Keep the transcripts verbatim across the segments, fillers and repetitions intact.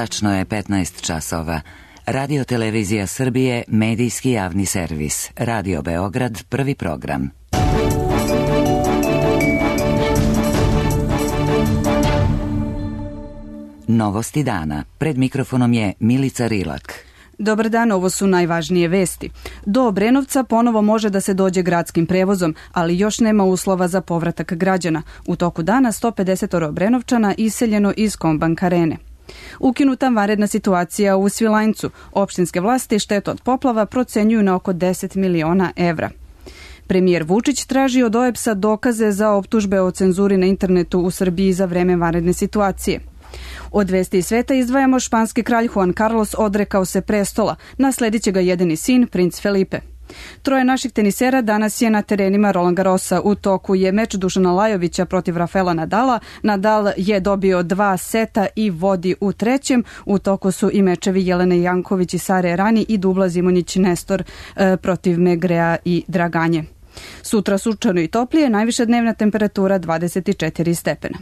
Tačno je petnaest časova. Radio Televizija Srbije, medijski javni servis. Radio Beograd, prvi program. Novosti dana. Pred mikrofonom je Milica Rilak. Dobar dan, ovo su najvažnije vesti. Do Obrenovca ponovo može da se dođe gradskim prevozom, ali još nema uslova za povratak građana. U toku dana sto pedeset Obrenovčana iseljeno iz Kombank arene. Ukinuta vanredna situacija u Svilajncu. Opštinske vlasti štetu od poplava procenjuju na oko deset miliona evra. Premijer Vučić traži od O E B S-a dokaze za optužbe o cenzuri na internetu u Srbiji za vreme vanredne situacije. Od vesti iz sveta izdvajamo španski kralj Juan Carlos odrekao se prestola, nasledit će ga jedini sin, princ Felipe. Troje naših tenisera danas je na terenima Roland Garrosa. U toku je meč Dušana Lajovića protiv Rafaela Nadala. Nadal je dobio dva seta i vodi u trećem. U toku su i mečevi Jelene Janković i Sare Errani i Dubla Zimonjić Nestor e, protiv Megrea i Draganje. Sutra sunčano i toplije, najviša dnevna temperatura dvadeset četiri stepena.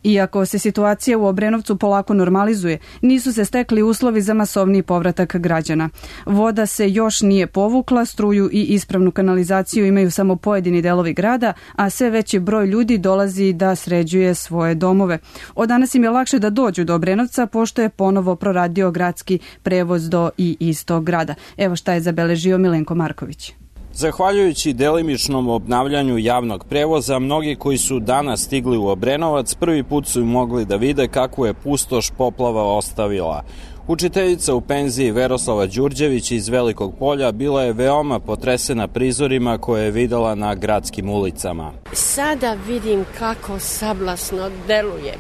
Iako se situacija u Obrenovcu polako normalizuje, nisu se stekli uslovi za masovni povratak građana. Voda se još nije povukla, struju i ispravnu kanalizaciju imaju samo pojedini delovi grada, a sve veći broj ljudi dolazi da sređuje svoje domove. Od danas im je lakše da dođu do Obrenovca, pošto je ponovo proradio gradski prevoz do i iz tog grada. Evo šta je zabeležio Milenko Marković. Zahvaljujući delimičnom obnavljanju javnog prevoza, mnogi koji su danas stigli u Obrenovac prvi put su mogli da vide kakvu je pustoš poplava ostavila. Učiteljica u penziji Veroslava Đurđević iz Velikog Polja bila je veoma potresena prizorima koje je videla na gradskim ulicama. Sada vidim kako sablasno deluje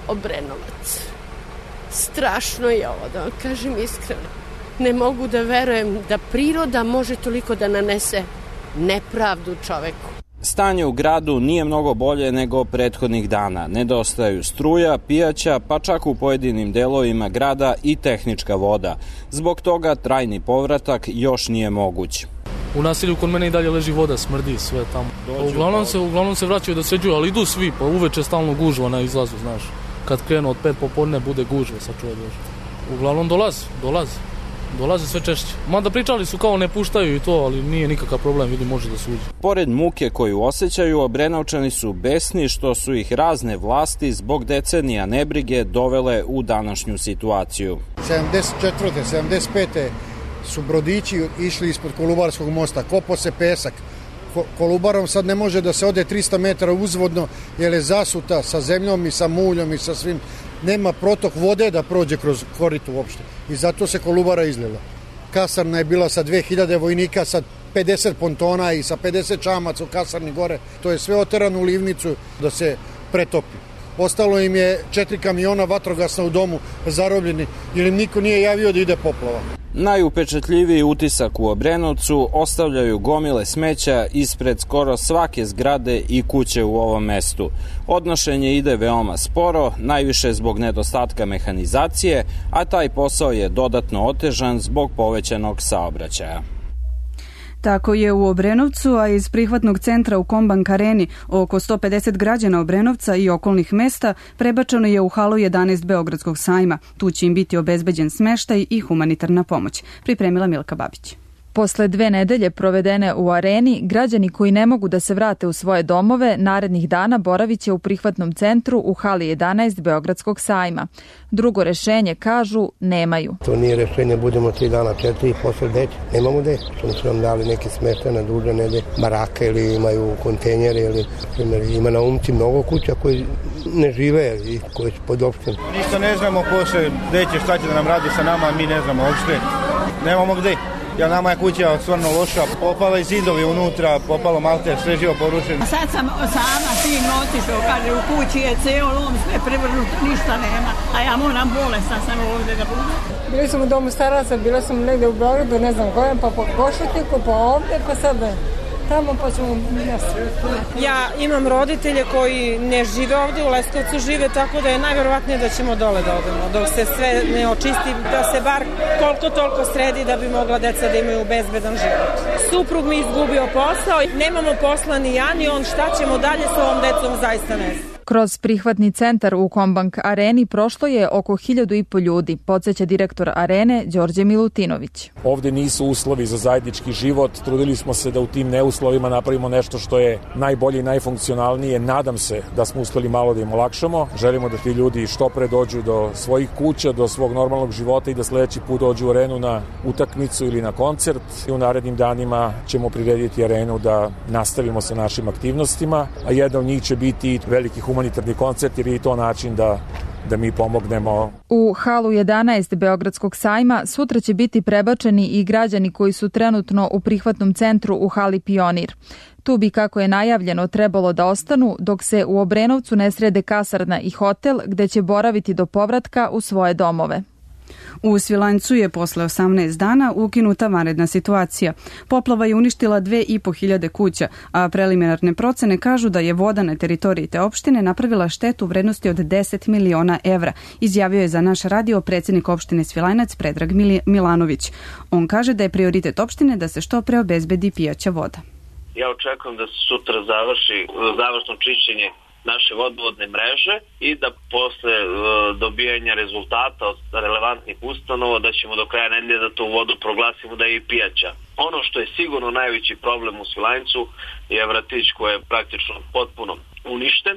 Obrenovac. Strašno je ovo, da vam kažem iskreno. Ne mogu da verujem da priroda može toliko da nanese nepravdu čoveku. Stanje u gradu nije mnogo bolje nego prethodnih dana. Nedostaju struja, pijaća, pa čak u pojedinim delovima grada i tehnička voda. Zbog toga trajni povratak još nije moguć. U naselju kod mene i dalje leži voda, smrdi sve tamo. Uglavnom se, uglavnom se vraćaju da sređuju, ali idu svi, pa uveče stalno gužva na izlazu, znaš. Kad krenu od pet popodne bude gužva, sa čuje dođe. Uglavnom dolazi, dolazi. Dolaze sve češće. Mada pričali su kao ne puštaju i to, ali nije nikakav problem, vidi može da se uđe. Pored muke koju osjećaju, Obrenovčani su besni što su ih razne vlasti zbog decenija nebrige dovele u današnju situaciju. sedamdeset četvrte sedamdeset pete su brodići išli ispod Kolubarskog mosta, kopao se pesak. Kolubarom sad ne može da se ode trista metara uzvodno jer je zasuta sa zemljom i sa muljom i sa svim. Nema protok vode da prođe kroz koritu uopšte i zato se Kolubara izlila. Kasarna je bila sa dve hiljade vojnika, sa pedeset pontona i sa pedeset čamaca u kasarni gore. To je sve oterano u livnicu da se pretopi. Ostalo im je četiri kamiona vatrogasna u domu zarobljeni jer im niko nije javio da ide poplava. Najupečatljiviji utisak u Obrenovcu ostavljaju gomile smeća ispred skoro svake zgrade i kuće u ovom mestu. Odnošenje ide veoma sporo, najviše zbog nedostatka mehanizacije, a taj posao je dodatno otežan zbog povećanog saobraćaja. Tako je u Obrenovcu, a iz prihvatnog centra u Kombank areni oko sto pedeset građana Obrenovca i okolnih mesta prebačeno je u halu jedanaest Beogradskog sajma. Tu će im biti obezbeđen smeštaj i humanitarna pomoć. Pripremila Milka Babić. Posle dve nedelje provedene u areni, građani koji ne mogu da se vrate u svoje domove narednih dana boravit će u prihvatnom centru u hali jedanaest Beogradskog sajma. Drugo rešenje, kažu, nemaju. To nije rešenje, budemo tri dana, četiri, posle deći. Nemamo deći. Oni su nam dali neke smeštaje na duže nedelje, barake ili imaju kontejnere ili primjer, ima na Umci mnogo kuća koji ne žive i koji su pod opštem. Ništa ne znamo posle, gde će, šta će da nam radi sa nama, mi ne znamo uopšte. Nemamo gde. Ja, nama je kuća stvarno loša, popala i zidovi unutra, popalo malte, sve živo porušeno. Sad sam sama sin otišao, kaže u kući je ceo lom, sve prevrnuto, ništa nema, a ja moram bolesna sam ovdje da budem. Bili sam u domu staraca, bila sam negde u Beogradu, ne znam kojem, pa po Košutniku, pa ovdje, pa sad tamo pa ćemo mjesto. Ja imam roditelje koji ne žive ovdje, u Leskovcu žive, tako da je najvjerovatnije da ćemo dole da odemo, dok se sve ne očisti, da se bar koliko toliko sredi da bi mogla deca da imaju bezbedan život. Suprug mi izgubio posao, nemamo posla ni ja ni on, šta ćemo dalje s ovom decom, zaista ne znam. Kroz prihvatni centar u Kombank areni prošlo je oko hiljadu i po ljudi, podsjeća direktor arene Đorđe Milutinović. Ovde nisu uslovi za zajednički život, trudili smo se da u tim neuslovima napravimo nešto što je najbolje i najfunkcionalnije. Nadam se da smo uspeli malo da im olakšamo. Želimo da ti ljudi što pre dođu do svojih kuća, do svog normalnog života i da sledeći put dođu u arenu na utakmicu ili na koncert. I u narednim danima ćemo prirediti arenu da nastavimo sa našim aktivnostima, a jedna od njih će biti veliki humanitarni koncert jer je to način da da mi pomognemo. U halu jedanaest Beogradskog sajma sutra će biti prebačeni i građani koji su trenutno u prihvatnom centru u hali Pionir. Tu bi, kako je najavljeno, trebalo da ostanu dok se u Obrenovcu ne srede kasarna i hotel gde će boraviti do povratka u svoje domove. U Svilajncu je posle osamnaest dana ukinuta vanredna situacija. Poplava je uništila dve i po hiljade kuća, a preliminarne procene kažu da je voda na teritoriji te opštine napravila štetu u vrednosti od deset miliona evra, izjavio je za naš radio predsjednik opštine Svilajnac Predrag Milanović. On kaže da je prioritet opštine da se što pre obezbedi pijaća voda. Ja očekujem da se sutra završi završno čišćenje naše vodovodne mreže i da posle e, dobijanja rezultata od relevantnih ustanova da ćemo do kraja nedelje da tu vodu proglasimo da je i pijaća. Ono što je sigurno najveći problem u Svilajncu je vratić koji je praktično potpuno uništen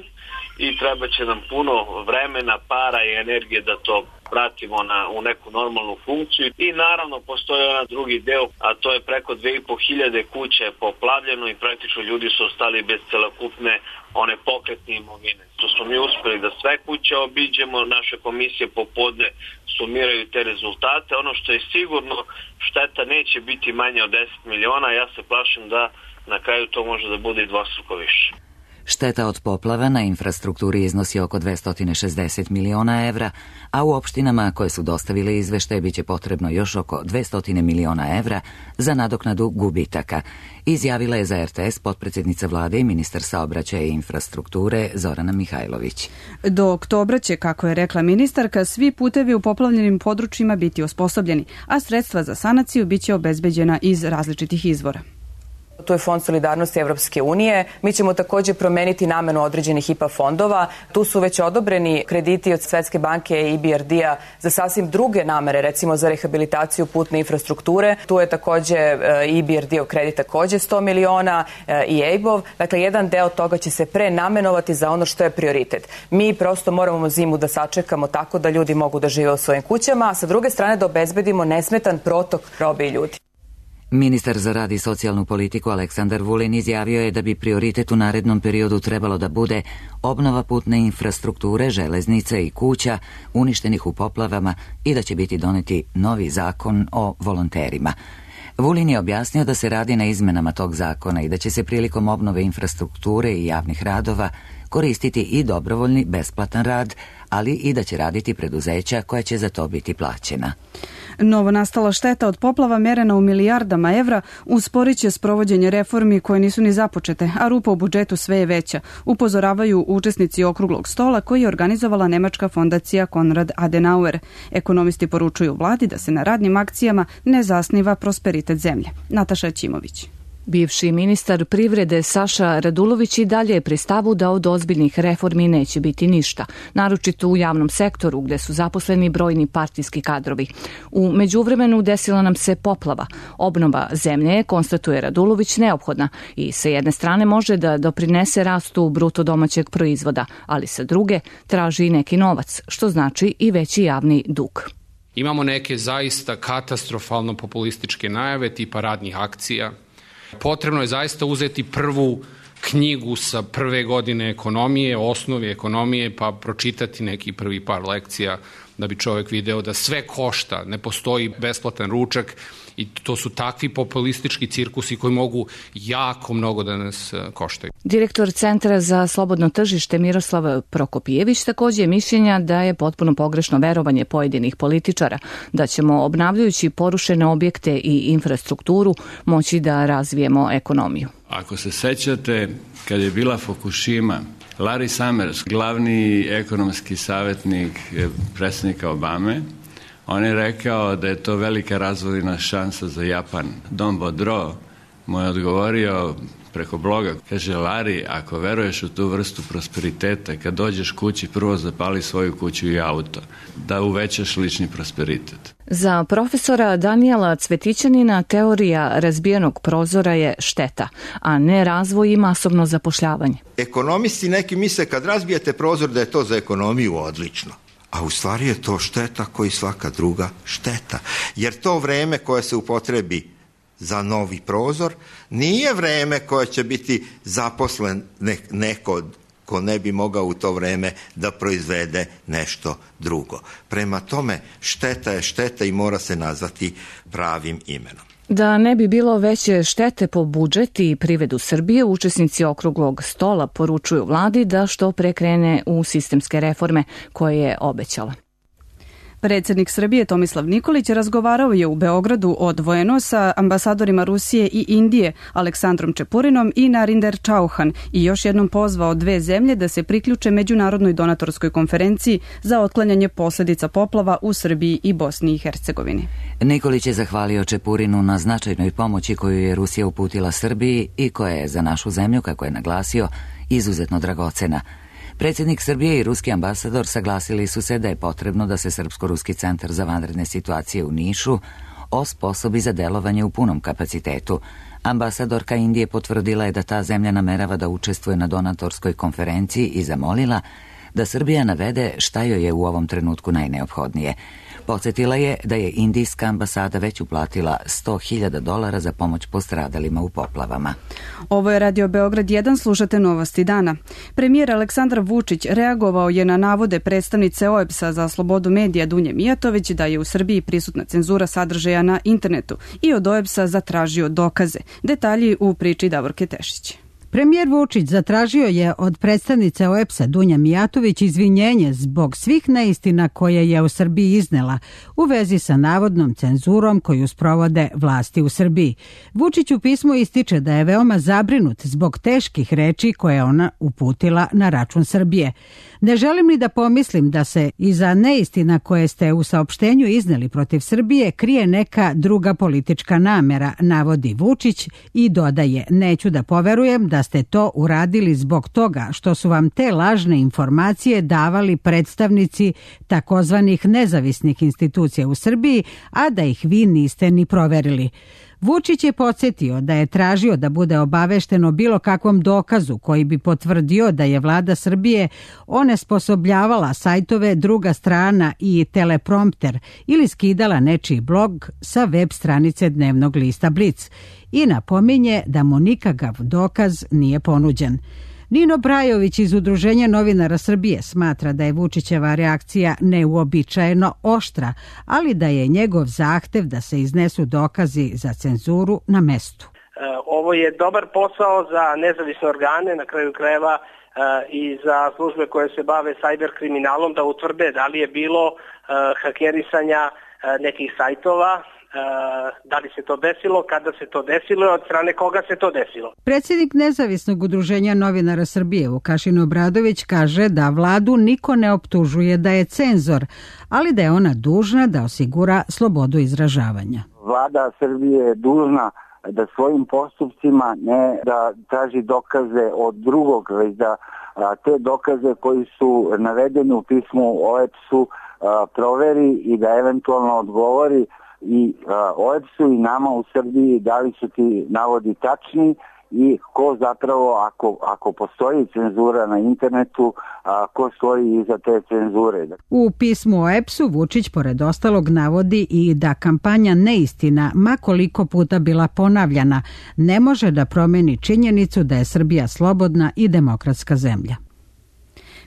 i treba će nam puno vremena, para i energije da to vratimo na, u neku normalnu funkciju. I naravno postoji onaj drugi deo, a to je preko dve i po hiljade kuća je poplavljeno i praktično ljudi su ostali bez celokupne one pokretne imovine. To smo mi uspeli da sve kuće obiđemo, naše komisije popodne sumiraju te rezultate. Ono što je sigurno, šteta neće biti manje od deset miliona, ja se plašim da na kraju to može da bude i dvostruko više. Šteta od poplava na infrastrukturi iznosi oko dvesta šezdeset miliona evra, a u opštinama koje su dostavile izveštaje biće potrebno još oko dvesta miliona evra za nadoknadu gubitaka, izjavila je za er te es potpredsjednica vlade i ministar saobraćaja i infrastrukture Zorana Mihajlović. Do oktobra će, kako je rekla ministarka, svi putevi u poplavljenim područjima biti osposobljeni, a sredstva za sanaciju biće obezbeđena iz različitih izvora. To je Fond solidarnosti Evropske unije. Mi ćemo također promeniti namenu određenih I P A fondova. Tu su već odobreni krediti od Svetske banke i I B R D-a za sasvim druge namere, recimo za rehabilitaciju putne infrastrukture. Tu je također I B R D-ov kredit također sto miliona i E I B-ov. Dakle, jedan deo toga će se prenamenovati za ono što je prioritet. Mi prosto moramo zimu da sačekamo tako da ljudi mogu da žive u svojim kućama, a sa druge strane da obezbedimo nesmetan protok robe i ljudi. Ministar za rad i socijalnu politiku Aleksandar Vulin izjavio je da bi prioritet u narednom periodu trebalo da bude obnova putne infrastrukture, železnica i kuća uništenih u poplavama i da će biti doneti novi zakon o volonterima. Vulin je objasnio da se radi na izmenama tog zakona i da će se prilikom obnove infrastrukture i javnih radova koristiti i dobrovoljni besplatan rad, ali i da će raditi preduzeća koja će za to biti plaćena. Novo nastala šteta od poplava merena u milijardama evra usporit će sprovođenje reformi koje nisu ni započete, a rupa u budžetu sve je veća, upozoravaju učesnici okruglog stola koji je organizovala nemačka fondacija Konrad Adenauer. Ekonomisti poručuju vladi da se na radnim akcijama ne zasniva prosperitet zemlje. Nataša Ćimović. Bivši ministar privrede Saša Radulović i dalje je pri stavu da od ozbiljnih reformi neće biti ništa, naročito u javnom sektoru gde su zaposleni brojni partijski kadrovi. U međuvremenu desila nam se poplava. Obnova zemlje je, konstatuje Radulović, neophodna i sa jedne strane može da doprinese rastu bruto domaćeg proizvoda, ali sa druge traži i neki novac, što znači i veći javni dug. Imamo neke zaista katastrofalno populističke najave tipa radnih akcija. Potrebno je zaista uzeti prvu knjigu sa prve godine ekonomije, osnovi ekonomije, pa pročitati neki prvi par lekcija da bi čovjek video da sve košta, ne postoji besplatan ručak i to su takvi populistički cirkusi koji mogu jako mnogo da nas koštaju. Direktor Centra za slobodno tržište Miroslav Prokopijević također je mišljenja da je potpuno pogrešno verovanje pojedinih političara, da ćemo obnavljajući porušene objekte i infrastrukturu moći da razvijemo ekonomiju. Ako se sećate, kad je bila Fukushima, Larry Summers, glavni ekonomski savjetnik predsjednika Obame, on je rekao da je to velika razvojna šansa za Japan. Don Bodro mu je odgovorio, preko bloga. Kaže, Lari, ako veruješ u tu vrstu prosperiteta, kad dođeš kući, prvo zapali svoju kuću i auto, da uvećaš lični prosperitet. Za profesora Danijela Cvetićanina teorija razbijenog prozora je šteta, a ne razvoj i masovno zapošljavanje. Ekonomisti neki misle kad razbijete prozor da je to za ekonomiju odlično. A u stvari je to šteta koji svaka druga šteta. Jer to vreme koje se upotrebi za novi prozor nije vreme koje će biti zaposlen neko ko ne bi mogao u to vreme da proizvede nešto drugo. Prema tome, šteta je šteta i mora se nazvati pravim imenom. Da ne bi bilo veće štete po budžet i privredu Srbije, učesnici okruglog stola poručuju vladi da što pre krene u sistemske reforme koje je obećala. Predsjednik Srbije Tomislav Nikolić razgovarao je u Beogradu odvojeno sa ambasadorima Rusije i Indije Aleksandrom Čepurinom i Narinder Čauhan i još jednom pozvao dve zemlje da se priključe međunarodnoj donatorskoj konferenciji za otklanjanje posljedica poplava u Srbiji i Bosni i Hercegovini. Nikolić je zahvalio Čepurinu na značajnoj pomoći koju je Rusija uputila Srbiji i koja je za našu zemlju, kako je naglasio, izuzetno dragocena. Predsjednik Srbije i ruski ambasador saglasili su se da je potrebno da se Srpsko-ruski centar za vanredne situacije u Nišu osposobi za delovanje u punom kapacitetu. Ambasadorka Indije potvrdila je da ta zemlja namerava da učestvuje na donatorskoj konferenciji i zamolila da Srbija navede šta joj je u ovom trenutku najneophodnije. Podsjetila je da je indijska ambasada već uplatila sto hiljada dolara za pomoć postradalima u poplavama. Ovo je Radio Beograd jedan, slušate novosti dana. Premijer Aleksandar Vučić reagovao je na navode predstavnice O E B S-a za slobodu medija Dunje Mijatović da je u Srbiji prisutna cenzura sadržaja na internetu i od O E B S-a zatražio dokaze. Detalji u priči Davorke Tešić. Premijer Vučić zatražio je od predstavnice O E B S-a Dunja Mijatović izvinjenje zbog svih neistina koje je u Srbiji iznela u vezi sa navodnom cenzurom koju sprovode vlasti u Srbiji. Vučić u pismu ističe da je veoma zabrinut zbog teških reči koje je ona uputila na račun Srbije. Ne želim ni da pomislim da se iza neistina koje ste u saopštenju izneli protiv Srbije krije neka druga politička namera, navodi Vučić i dodaje, neću da poverujem da ste to uradili zbog toga što su vam te lažne informacije davali predstavnici takozvanih nezavisnih institucija u Srbiji, a da ih vi niste ni proverili. Vučić je podsjetio da je tražio da bude obavešten o bilo kakvom dokazu koji bi potvrdio da je vlada Srbije onesposobljavala sajtove Druga strana i Teleprompter ili skidala nečiji blog sa web stranice dnevnog lista Blic i napominje da mu nikakav dokaz nije ponuđen. Nino Brajović iz Udruženja novinara Srbije smatra da je Vučićeva reakcija neuobičajeno oštra, ali da je njegov zahtev da se iznesu dokazi za cenzuru na mestu. Ovo je dobar posao za nezavisne organe, na kraju krajeva i za službe koje se bave sajber kriminalom, da utvrde da li je bilo hakerisanja nekih sajtova, da li se to desilo, kada se to desilo i od strane koga se to desilo. Predsjednik Nezavisnog udruženja novinara Srbije Vukašin Obradović kaže da vladu niko ne optužuje da je cenzor, ali da je ona dužna da osigura slobodu izražavanja. Vlada Srbije je dužna da svojim postupcima ne da traži dokaze od drugog, već da te dokaze koji su navedeni u pismu O E B S-u proveri i da eventualno odgovori i O E B S-u i nama u Srbiji da li su ti navodi tačni i ko zapravo, ako, ako postoji cenzura na internetu, a, ko stoji iza te cenzure. U pismu O E B S-u Vučić pored ostalog navodi i da kampanja neistina, ma koliko puta bila ponavljana, ne može da promeni činjenicu da je Srbija slobodna i demokratska zemlja.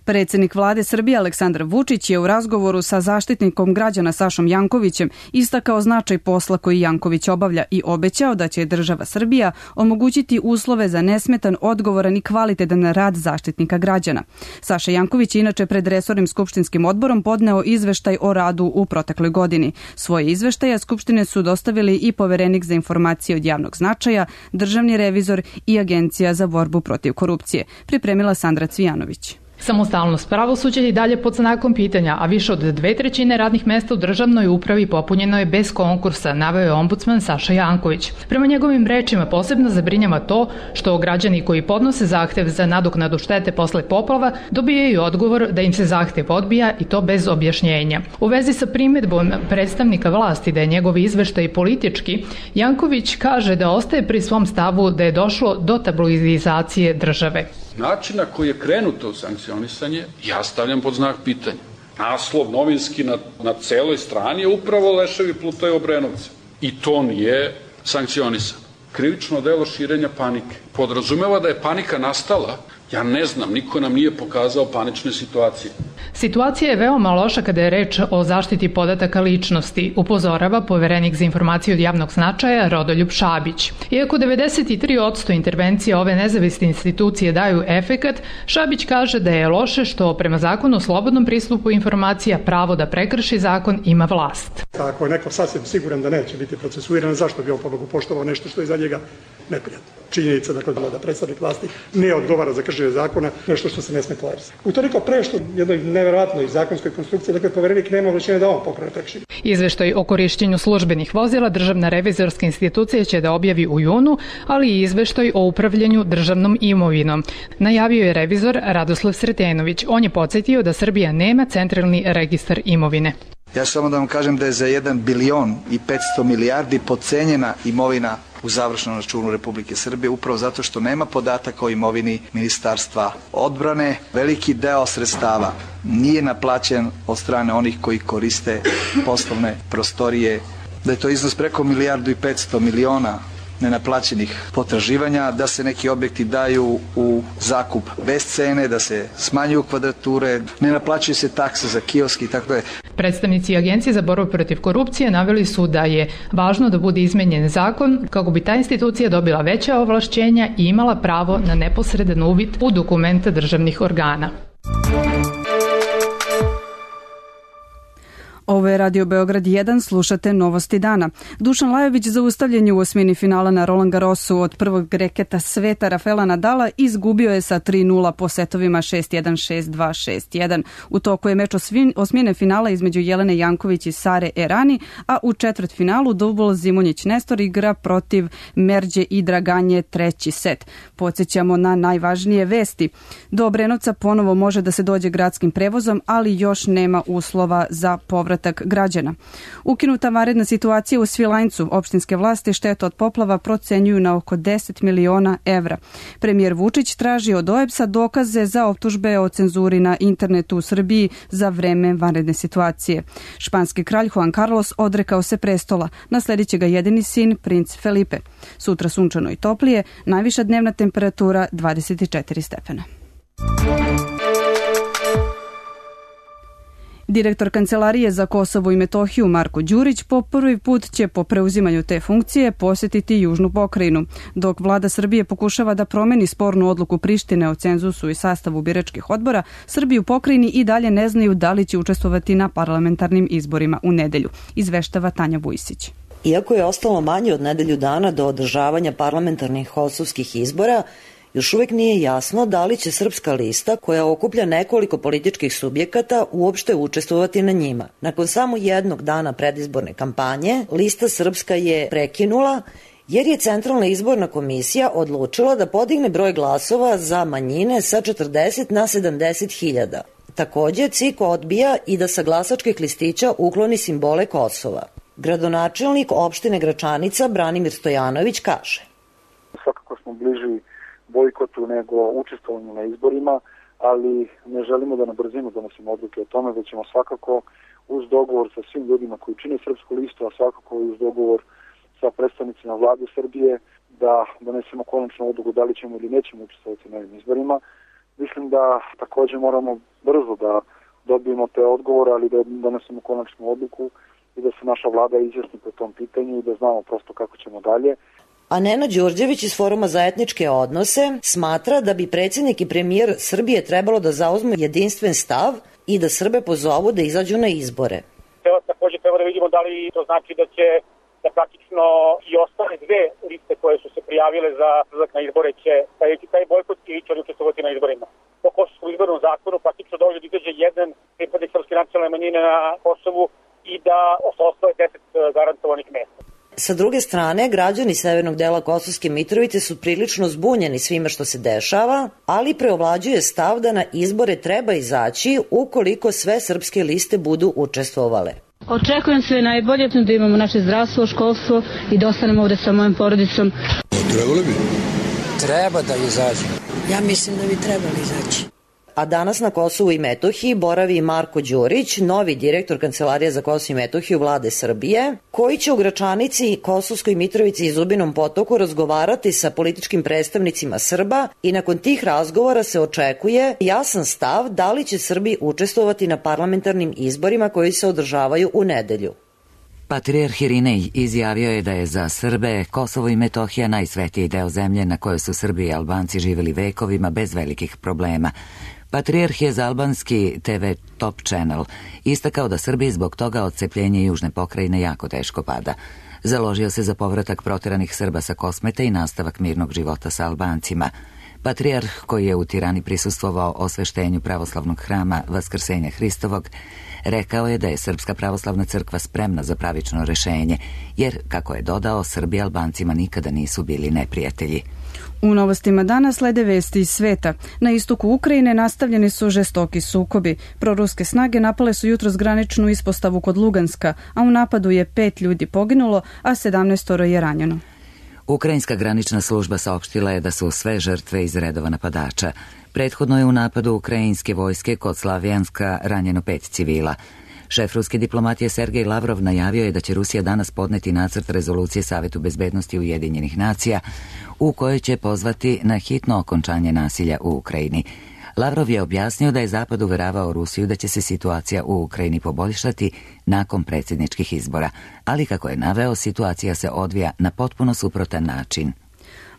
Predsjednik vlade Srbije Aleksandar Vučić je u razgovoru sa zaštitnikom građana Sašom Jankovićem istakao značaj posla koji Janković obavlja i obećao da će država Srbija omogućiti uslove za nesmetan, odgovoran i kvalitetan rad zaštitnika građana. Saša Janković je inače pred resornim skupštinskim odborom podneo izveštaj o radu u protekloj godini. Svoje izveštaje Skupštine su dostavili i Poverenik za informacije od javnog značaja, Državni revizor i Agencija za borbu protiv korupcije. Pripremila Sandra Cvijanović. Samostalnost pravosuđa je i dalje pod znakom pitanja, a više od dve trećine radnih mesta u državnoj upravi popunjeno je bez konkursa, naveo je ombudsman Saša Janković. Prema njegovim rečima posebno zabrinjava to što građani koji podnose zahtev za nadoknadu štete posle poplava dobijaju odgovor da im se zahtev odbija i to bez objašnjenja. U vezi sa primedbom predstavnika vlasti da je njegov izveštaj politički, Janković kaže da ostaje pri svom stavu da je došlo do tabloidizacije države. Način na koji je krenuto u sankcionisanje, ja stavljam pod znak pitanja. Naslov novinski na, na celoj strani je upravo leševi plutaju Obrenovca. I to nije sankcionisano. Krivično delo širenja panike. Podrazumeva da je panika nastala, ja ne znam, niko nam nije pokazao panične situacije. Situacija je veoma loša kada je reč o zaštiti podataka ličnosti, upozorava poverenik za informacije od javnog značaja Rodoljub Šabić. Iako devedeset tri posto intervencije ove nezavisne institucije daju efekat, Šabić kaže da je loše što prema zakonu o slobodnom pristupu informacija pravo da prekrši zakon ima vlast. Ako je neko sasvim siguran da neće biti procesuiran, zašto bi on pobogu poštovao nešto što je za njega neprijatno? Činjenica dakle, da predstavnik vlasti ne odgovara za kršenje zakona, nešto što se ne sme tolerisati. Utoliko pre što jednoj neverovatnoj zakonskoj konstrukciji, dakle poverenik nema ovlašćenja da on pokrene prekršenje. Izveštaj o korišćenju službenih vozila Državna revizorska institucija će da objavi u junu, ali i izveštaj o upravljanju državnom imovinom. Najavio je revizor Radoslav Sretenović. On je podsjetio da Srbija nema centralni registar imovine. Ja samo da vam kažem da je za jedan bilion i petsto milijardi podcenjena imovina u završnom računu Republike Srbije, upravo zato što nema podataka o imovini Ministarstva odbrane. Veliki deo sredstava nije naplaćen od strane onih koji koriste poslovne prostorije, da je to iznos preko milijardu i petsto miliona nenaplaćenih potraživanja, da se neki objekti daju u zakup bez cene, da se smanjuju kvadrature, ne naplaćuju se takse za kioski i tako je. Predstavnici Agencije za borbu protiv korupcije naveli su da je važno da bude izmenjen zakon kako bi ta institucija dobila veća ovlašćenja i imala pravo na neposredan uvid u dokumente državnih organa. Ovo je Radio Beograd jedan, slušate Novosti dana. Dušan Lajović zaustavljen je u osmini finala na Roland Garrosu od prvog reketa sveta Rafaela Nadala izgubio je sa tri nula po setovima šest jedan, šest dva, šest jedan. U toku je meč osmine finala između Jelene Janković i Sare Erani, a u četvrtfinalu Dubol Zimonjić Nestor igra protiv Merđe i Draganje treći set. Podsjećamo na najvažnije vesti. Do Obrenovca ponovo može da se dođe gradskim prevozom, ali još nema uslova za povrat građana. Ukinuta vanredna situacija u Svilajncu, opštinske vlasti štetu od poplava procenjuju na oko deset miliona evra. Premijer Vučić traži od O E B S-a dokaze za optužbe o cenzuri na internetu u Srbiji za vreme vanredne situacije. Španski kralj Juan Carlos odrekao se prestola, nasledit će ga jedini sin, princ Felipe. Sutra sunčano i toplije, najviša dnevna temperatura dvadeset četiri stepena. Direktor Kancelarije za Kosovo i Metohiju Marko Đurić po prvi put će po preuzimanju te funkcije posjetiti Južnu pokrajinu. Dok vlada Srbije pokušava da promeni spornu odluku Prištine o cenzusu i sastavu biračkih odbora, Srbi u pokrajini i dalje ne znaju da li će učestvovati na parlamentarnim izborima u nedelju, izveštava Tanja Vujsić. Iako je ostalo manje od nedelju dana do održavanja parlamentarnih kosovskih izbora, još uvek nije jasno da li će Srpska lista, koja okuplja nekoliko političkih subjekata, uopšte učestvovati na njima. Nakon samo jednog dana predizborne kampanje, lista Srpska je prekinula jer je Centralna izborna komisija odlučila da podigne broj glasova za manjine sa četrdeset na sedamdeset hiljada. Takođe, C I K odbija i da sa glasačkih listića ukloni simbole Kosova. Gradonačelnik opštine Gračanica Branimir Stojanović kaže: Svakako smo bliži bojkotu nego učestvovanju na izborima, ali ne želimo da na brzinu donosimo odluke o tome, već ćemo svakako uz dogovor sa svim ljudima koji čine Srpsku listu, a svakako i uz dogovor sa predstavnicima vlade Srbije da donesemo konačnu odluku da li ćemo ili nećemo učestvovati na ovim izborima. Mislim da takođe moramo brzo da dobijemo te odgovore, ali da donesemo konačnu odluku i da se naša vlada izjasni po tom pitanju i da znamo prosto kako ćemo dalje. A Nena Đorđević iz Foruma za etničke odnose smatra da bi predsjednik i premijer Srbije trebalo da zauzmu jedinstven stav i da Srbe pozovu da izađu na izbore. Također treba da vidimo da li to znači da će da praktično i ostale dve liste koje su se prijavile za izlazak na izbore će staviti taj bojkot i će učestvovati na izborima. Po Kosovskom izbornom zakonu praktično dođe da izađe jedan pripadnik srpske nacionalne manjine na Kosovu i da ostane deset garantovanih mesta. Sa druge strane, građani severnog dela Kosovske Mitrovice su prilično zbunjeni svime što se dešava, ali preovlađuje stav da na izbore treba izaći ukoliko sve srpske liste budu učestvovale. Očekujem sve najbolje, da imamo naše zdravstvo, školstvo i da ostanemo ovde sa mojom porodicom. Trebalo bi? Treba da izađu. Ja mislim da bi trebali izaći. A danas na Kosovu i Metohiji boravi i Marko Đurić, novi direktor Kancelarije za Kosovo i Metohiju Vlade Srbije, koji će u Gračanici, Kosovskoj Mitrovici i Zubinom Potoku razgovarati sa političkim predstavnicima Srba i nakon tih razgovora se očekuje jasan stav da li će Srbi učestvovati na parlamentarnim izborima koji se održavaju u nedelju. Patrijarh Irinej izjavio je da je za Srbe Kosovo i Metohija najsvetiji deo zemlje na kojoj su Srbi i Albanci živjeli vekovima bez velikih problema. Patrijarh je za albanski te ve Top Channel istakao da Srbiji zbog toga odcepljenje južne pokrajine jako teško pada. Založio se za povratak proteranih Srba sa Kosmeta i nastavak mirnog života sa Albancima. Patrijarh, koji je u Tirani prisustvovao osveštenju pravoslavnog hrama Vaskrsenja Hristovog, rekao je da je Srpska pravoslavna crkva spremna za pravično rešenje, jer, kako je dodao, Srbi Albancima nikada nisu bili neprijatelji. U novostima dana slede vesti iz sveta. Na istoku Ukrajine nastavljeni su žestoki sukobi. Proruske snage napale su jutros graničnu ispostavu kod Luganska, a u napadu je pet ljudi poginulo, a sedamnaestoro je ranjeno. Ukrajinska granična služba saopštila je da su sve žrtve iz redova napadača. Prethodno je u napadu ukrajinske vojske kod Slavjanska ranjeno pet civila. Šef ruske diplomatije Sergej Lavrov najavio je da će Rusija danas podneti nacrt rezolucije Savetu bezbednosti Ujedinjenih nacija u kojoj će pozvati na hitno okončanje nasilja u Ukrajini. Lavrov je objasnio da je Zapad uveravao Rusiju da će se situacija u Ukrajini poboljšati nakon predsjedničkih izbora, ali kako je naveo, situacija se odvija na potpuno suprotan način.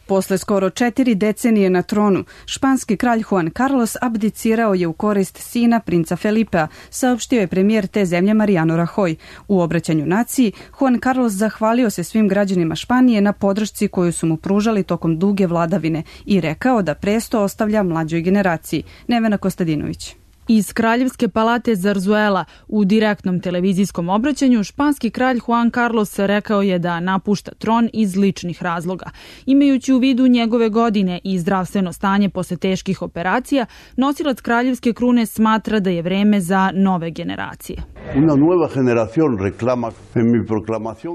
Posle skoro četiri decenije na tronu, španski kralj Juan Carlos abdicirao je u korist sina princa Felipea, saopštio je premijer te zemlje Mariano Rajoy. U obraćanju naciji, Juan Carlos zahvalio se svim građanima Španije na podršci koju su mu pružali tokom duge vladavine i rekao da presto ostavlja mlađoj generaciji. Nevena Kostadinović. Iz Kraljevske palate Zarzuela u direktnom televizijskom obraćanju španski kralj Juan Carlos rekao je da napušta tron iz ličnih razloga. Imajući u vidu njegove godine i zdravstveno stanje posle teških operacija, nosilac kraljevske krune smatra da je vreme za nove generacije.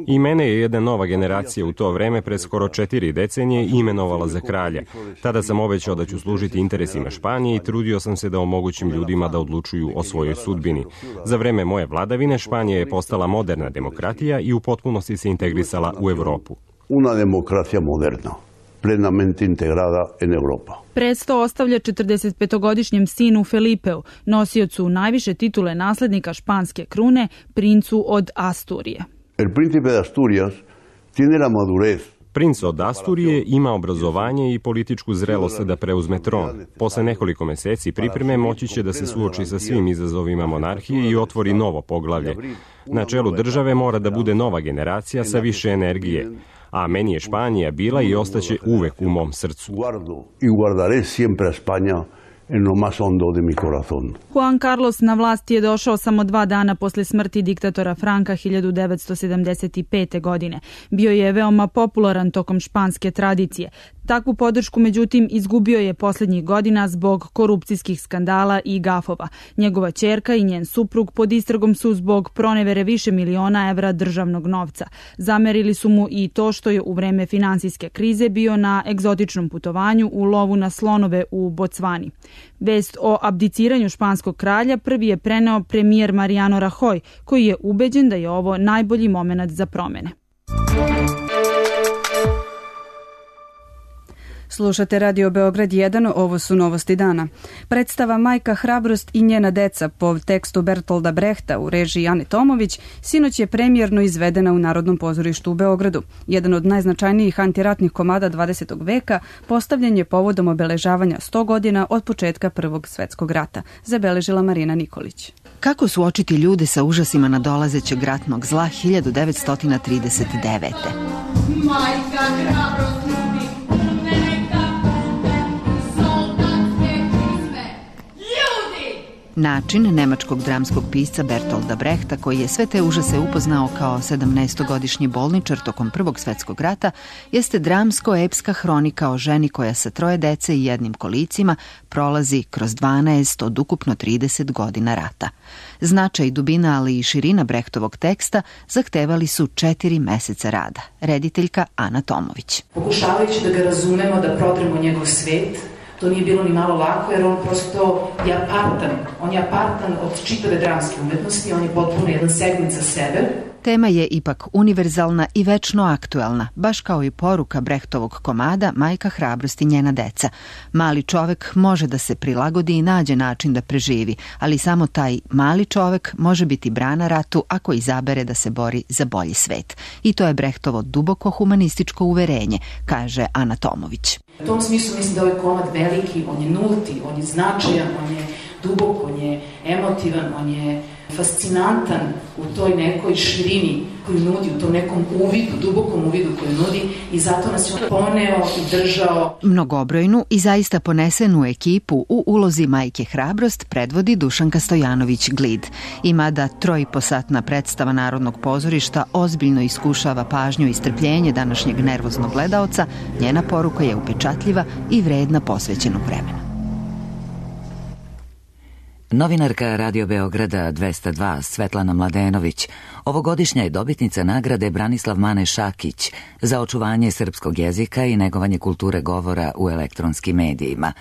I mene je jedna nova generacija u to vreme pred skoro četiri decenije imenovala za kralja. Tada sam obećao da ću služiti interesima Španije i trudio sam se da omogućim ljudima da odlučuju o svojoj sudbini. Za vreme moje vladavine Španija je postala moderna demokratija i u potpunosti se integrisala u Evropu. Una demokracija moderna, plenamente integrada en Europa. Presto ostavlja četrdesetpetogodišnjem sinu Felipeu, nosiocu najviše titule naslednika španske krune, princu od Asturije. El príncipe de Asturias tiene la madurez. Princ od Asturije ima obrazovanje i političku zrelost da preuzme tron. Posle nekoliko meseci pripreme moći će da se suoči sa svim izazovima monarhije i otvori novo poglavlje. Na čelu države mora da bude nova generacija sa više energije, a meni je Španija bila i ostaće uvek u mom srcu. I guardaré siempre a España en lo más hondo de mi corazón. Juan Carlos na vlast je došao samo dva dana posle smrti diktatora Franka hiljadu devetsto sedamdeset pete. godine. Bio je veoma popularan tokom španske tradicije. Takvu podršku, međutim, izgubio je posljednjih godina zbog korupcijskih skandala i gafova. Njegova ćerka i njen suprug pod istragom su zbog pronevere više miliona evra državnog novca. Zamerili su mu i to što je u vreme finansijske krize bio na egzotičnom putovanju u lovu na slonove u Bocvani. Vest o abdiciranju španskog kralja prvi je preneo premijer Mariano Rajoy, koji je ubeđen da je ovo najbolji momenat za promene. Slušate Radio Beograd jedan, ovo su novosti dana. Predstava Majka Hrabrost i njena deca po tekstu Bertolda Brehta u režiji Ane Tomović sinoć je premijerno izvedena u Narodnom pozorištu u Beogradu. Jedan od najznačajnijih antiratnih komada dvadesetog veka postavljen je povodom obeležavanja sto godina od početka Prvog svetskog rata, zabeležila Marina Nikolić. Kako suočiti ljude sa užasima nadolazećeg ratnog zla hiljadu devetsto trideset devete. Majka Hrabrost ljubi, neka soldat sve čizme. Ljudi Način nemačkog dramskog pisca Bertolda Brehta, koji je sve te užase upoznao kao sedamnaestogodišnji bolničar tokom Prvog svetskog rata, jeste dramsko-epska hronika o ženi koja sa troje dece i jednim kolicima prolazi kroz dvanaest od ukupno trideset godina rata. Značaj, dubina, ali i širina Brehtovog teksta zahtevali su četiri meseca rada. Rediteljka Ana Tomović. Pokušavajući da ga razumemo, da prodremo njegov svet, to nije bilo ni malo lako, jer on prosto je apartan. On je apartan od čitave dramske umetnosti, on je potpuno jedan segment za sebe. Tema je ipak univerzalna i večno aktuelna, baš kao i poruka Brehtovog komada Majka hrabrosti njena deca. Mali čovek može da se prilagodi i nađe način da preživi, ali samo taj mali čovek može biti brana ratu ako izabere da se bori za bolji svet. I to je Brehtovo duboko humanističko uverenje, kaže Ana Tomović. U tom smislu mislim da ovaj komad veliki, on je nulti, on je značajan, on je dubok, on je emotivan, on je fascinantan u toj nekoj širini koju nudi, u tom nekom uvidu, dubokom uvidu koju nudi, i zato nas je poneo i držao. Mnogobrojnu i zaista ponesenu ekipu u ulozi Majke hrabrost predvodi Dušanka Stojanović Glid. I mada trojiposatna predstava Narodnog pozorišta ozbiljno iskušava pažnju i strpljenje današnjeg nervoznog gledaoca, njena poruka je upečatljiva i vredna posvećenog vremena. Novinarka Radio Beograda dvesta dva Svetlana Mladenović ovogodišnja je dobitnica nagrade Branislav Mane Šakić za očuvanje srpskog jezika i negovanje kulture govora u elektronskim medijima.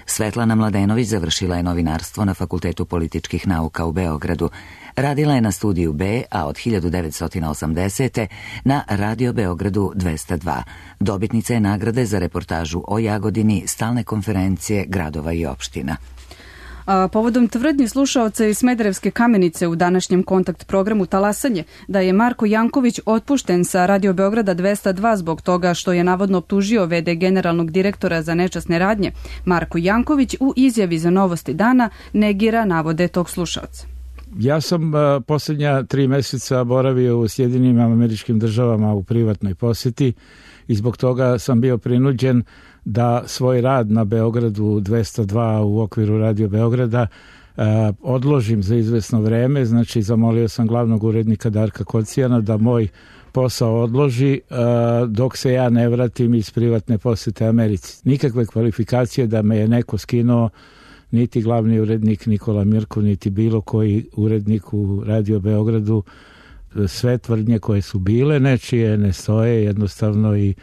Svetlana Mladenović završila je novinarstvo na Fakultetu političkih nauka u Beogradu. Radila je na Studiju B, a od hiljadu devetsto osamdesete. na Radio Beogradu dvesta dva. Dobitnica je nagrade za reportažu o Jagodini stalne konferencije gradova i opština. A, povodom tvrdnji slušaoca iz Smederevske Kamenice u današnjem kontakt programu Talasanje da je Marko Janković otpušten sa Radio Beograda dvesta dva zbog toga što je navodno optužio ve de generalnog direktora za nečasne radnje, Marko Janković u izjavi za Novosti dana negira navode tog slušaoca. Ja sam uh, posljednja tri meseca boravio u Sjedinim Američkim Državama u privatnoj posjeti i zbog toga sam bio prinuđen da svoj rad na Beogradu dvesta dva u okviru Radio Beograda uh, odložim za izvesno vreme. Znači, zamolio sam glavnog urednika Darka Kocijana da moj posao odloži uh, dok se ja ne vratim iz privatne posjete Americi. Nikakve kvalifikacije da me je neko skinuo, niti glavni urednik Nikola Mirko, niti bilo koji urednik u Radio Beogradu. Sve tvrdnje koje su bile nečije ne stoje jednostavno i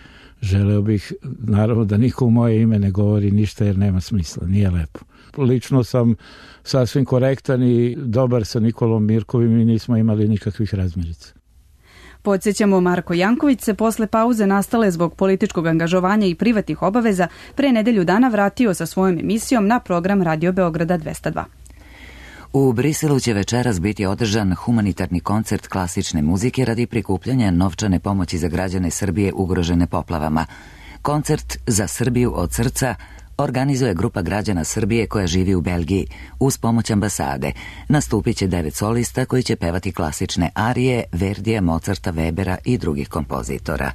želeo bih naravno da niko u moje ime ne govori ništa jer nema smisla, nije lepo. Lično sam sasvim korektan i dobar sa Nikolom Mirkovim i nismo imali nikakvih razmirica. Podsjećamo, Marko Janković se posle pauze nastale zbog političkog angažovanja i privatnih obaveza pre nedelju dana vratio sa svojom emisijom na program Radio Beograda dvesta dva. U Briselu će večeras biti održan humanitarni koncert klasične muzike radi prikupljanja novčane pomoći za građane Srbije ugrožene poplavama. Koncert Za Srbiju od srca organizuje grupa građana Srbije koja živi u Belgiji uz pomoć ambasade. Nastupit će devet solista koji će pevati klasične arije Verdija, Mozarta, Webera i drugih kompozitora.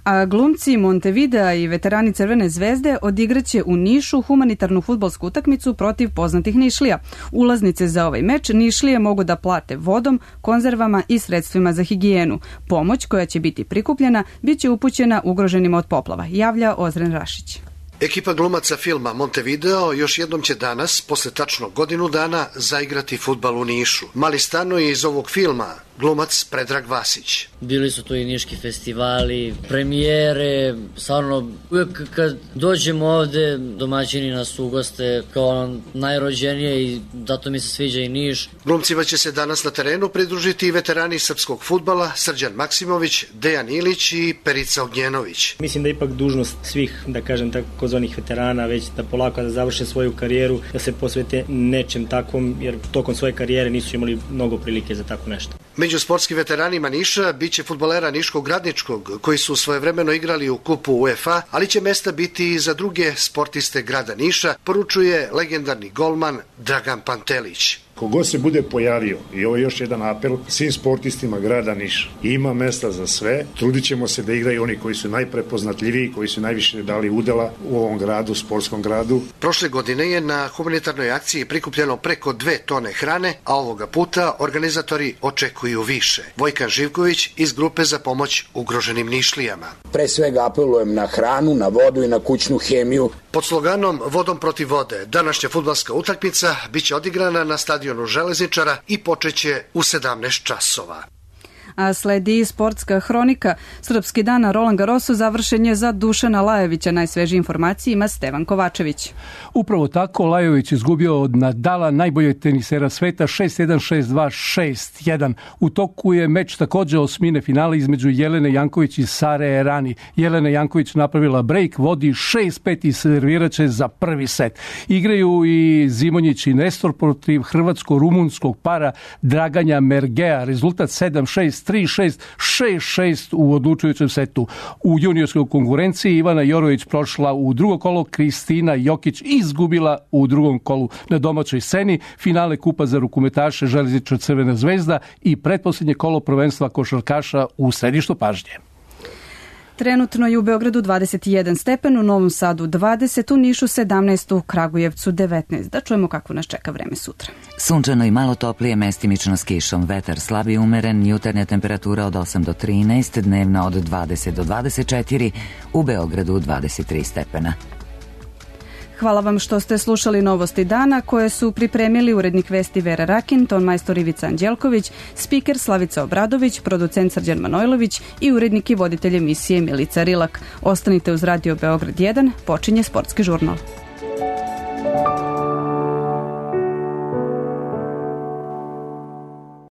A glumci Montevidea i veterani Crvene zvezde odigraće u Nišu humanitarnu fudbalsku utakmicu protiv poznatih Nišlija. Ulaznice za ovaj meč Nišlije mogu da plate vodom, konzervama i sredstvima za higijenu. Pomoć koja će biti prikupljena bit će upućena ugroženima od poplava, javlja Ozren Rašić. Ekipa glumaca filma Montevideo još jednom će danas, posle tačno godinu dana, zaigrati fudbal u Nišu. Mali Stano je iz ovog filma glumac Predrag Vasić. Bili su to i niški festivali, premijere, stvarno uvijek kad dođemo ovde domaćini nas ugoste kao najrođenije i zato mi se sviđa i Niš. Glumcima će se danas na terenu pridružiti i veterani srpskog fudbala Srđan Maksimović, Dejan Ilić i Perica Ognjenović. Mislim da je ipak dužnost svih, da kažem tako, kozvanih veterana već da polako da završe svoju karijeru, da se posvete nečem takvom, jer tokom svoje karijere nisu imali mnogo prilike za tako nešto. Među sportskim veteranima Niša biće fudbalera Niškog Radničkog, koji su svojevremeno igrali u kupu UEFA, ali će mesta biti i za druge sportiste grada Niša, poručuje legendarni golman Dragan Pantelić. Kogod se bude pojavio, i ovo je još jedan apel svim sportistima grada Niša, ima mesta za sve, trudit ćemo se da igraju oni koji su najprepoznatljiviji, koji su najviše dali udela u ovom gradu, sportskom gradu. Prošle godine je na humanitarnoj akciji prikupljeno preko dve tone hrane, a ovoga puta organizatori očekuju više. Vojkan Živković iz grupe za pomoć ugroženim Nišlijama. Pre svega apelujem na hranu, na vodu i na kućnu hemiju. Pod sloganom Vodom protiv vode današnja fudbalska utakmica biće odigrana na stadionu Železničara i počeće u sedamnaest časova. A sledi sportska hronika. Srpski dan na Roland Garrosu završen je za Dušana Lajovića. Najsvežije informacije ima Stevan Kovačević. Upravo tako, Lajović izgubio od Nadala, najboljeg tenisera sveta, šest jedan, šest dva, šest jedan. U toku je meč također osmine finale između Jelene Janković i Sare Errani. Jelena Janković napravila break, vodi šest pet i serviraće za prvi set. Igraju i Zimonjić i Nestor protiv hrvatsko-rumunskog para Draganja Mergea. Rezultat sedam šest, tri šest, šest šest u odlučujućem setu. U juniorskoj konkurenciji Ivana Jorović prošla u drugo kolo, Kristina Jokić izgubila u drugom kolu. Na domaćoj sceni finale kupa za rukometaše Železničar Crvena zvezda i pretposljednje kolo prvenstva košarkaša u središtu pažnje. Trenutno je u Beogradu dvadeset jedan stepen, u Novom Sadu dvadeset, u Nišu sedamnaest, u Kragujevcu devetnaest. Da čujemo kako nas čeka vreme sutra. Sunčano i malo toplije, mestimično s kišom. Vetar slab i umeren, jutarnja temperatura od osam do trinaest, dnevna od dvadeset do dvadeset četiri, u Beogradu dvadeset tri stepena. Hvala vam što ste slušali Novosti dana koje su pripremili urednik vesti Vera Rakin, ton majstor Ivica Anđelković, spiker Slavica Obradović, producent Srđan Manojlović i urednik i voditelj emisije Milica Rilak. Ostanite uz Radio Beograd jedan, počinje sportski žurnal.